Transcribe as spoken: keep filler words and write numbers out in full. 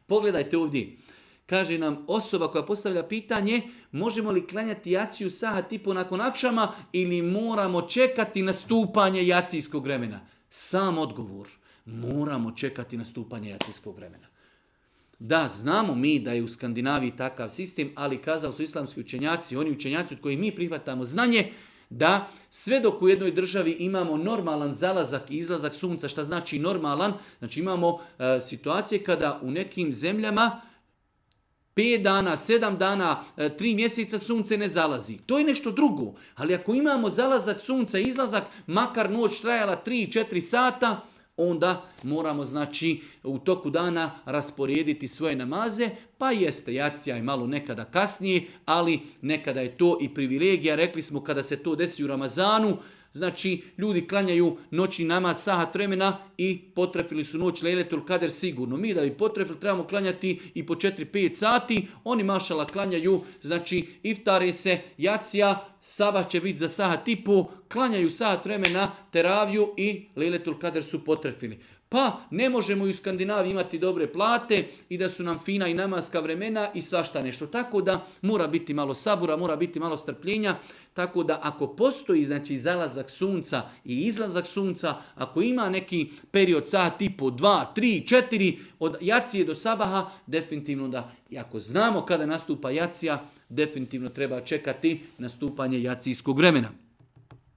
Pogledajte ovdje. Kaže nam osoba koja postavlja pitanje, možemo li klanjati jaciju sahat i po nakon akšama ili moramo čekati nastupanje jacijskog vremena? Sam odgovor. Moramo čekati nastupanje jacijskog vremena. Da, znamo mi da je u Skandinaviji takav sistem, ali kazali su islamski učenjaci, oni učenjaci od kojih mi prihvatamo znanje, da sve dok u jednoj državi imamo normalan zalazak i izlazak sunca, šta znači normalan, znači imamo e, situacije kada u nekim zemljama pet dana, sedam dana, tri mjeseca sunce ne zalazi. To je nešto drugo. Ali ako imamo zalazak sunca i izlazak, makar noć trajala tri četiri sata, onda moramo znači u toku dana rasporediti svoje namaze, pa jeste jacija i malo nekada kasnije, ali nekada je to i privilegija. Rekli smo kada se to desi u Ramazanu, znači ljudi klanjaju noćni namaz sahat vremena i potrefili su noć Lejletul Kader sigurno. Mi da bi potrefili trebamo klanjati i po četiri pet sati, oni mašala klanjaju, znači iftare se, jacija, sabah će biti za sahat i po, klanjaju sahat vremena, teraviju i Lejletul Kader su potrefili. Pa ne možemo i u Skandinaviji imati dobre plate i da su nam fina i namaska vremena i svašta nešto. Tako da mora biti malo sabura, mora biti malo strpljenja. Tako da ako postoji znači zalazak sunca i izlazak sunca, ako ima neki period sat i po, dva, tri, četiri od jacije do sabaha, definitivno da, i ako znamo kada nastupa jacija, definitivno treba čekati nastupanje jacijskog vremena.